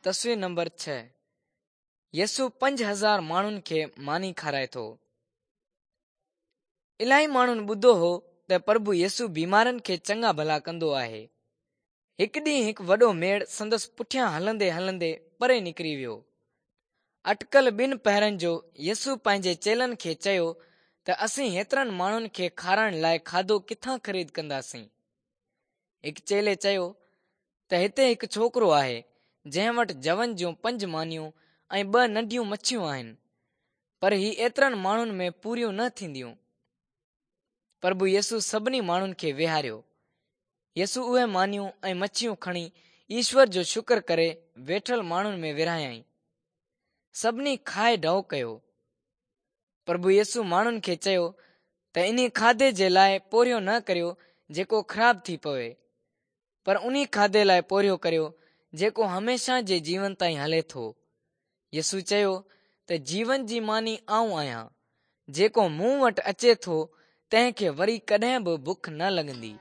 تصوير نمبر 6 يسوع 5000 ماڻهن کي ماني کارائي ٿو. الاهي ماڻهن ٻڌو هو ته پرڀو يسوع بيمارن کي چڱا ڀلا ڪندو آهي. هڪ ڏينهن هڪ وڏو ميڙ سندس پٺيان هلندي هلندي پري نڪري ويو. اٽڪل ٻن پهرن جو يسوع پنهنجي چيلن کي چيو ته اسين هيترن ماڻهن کي کارائڻ لاء کاڌو ڪٿان خريد ڪنداسين؟ هڪ چيلي چيو ته هتي هڪ ڇوڪرو آهي، جنهن وٽ جون جون پنج مانيون ۽ ٻه ننڍيون مڇيون آهن، پر هي ايترن ماڻهن ۾ پوريون نه ٿينديون. پرڀو يسوع سڀني ماڻهن کي ويهاريو. يسوع اهي مانيون ۽ مڇيون کڻي ايشور جو شڪر ڪري ويٺل ماڻهن ۾ ورهايائين. سڀني کائي ڍؤ ڪيو. پرڀو يسوع ماڻهن کي چيو ته انهي کاڌي جي لاء پورهيو نه ڪريو جيڪو خراب ٿي پوي، پر انهي کاڌي لاء پورهيو ڪريو جيڪو هميشه جي جيون تائين هلي ٿو. يسوع چيو ته جيون جي ماني آئون آهيان، جيڪو مون وٽ اچي ٿو تنهن کي وري ڪڏهن به بک نه لڳندي.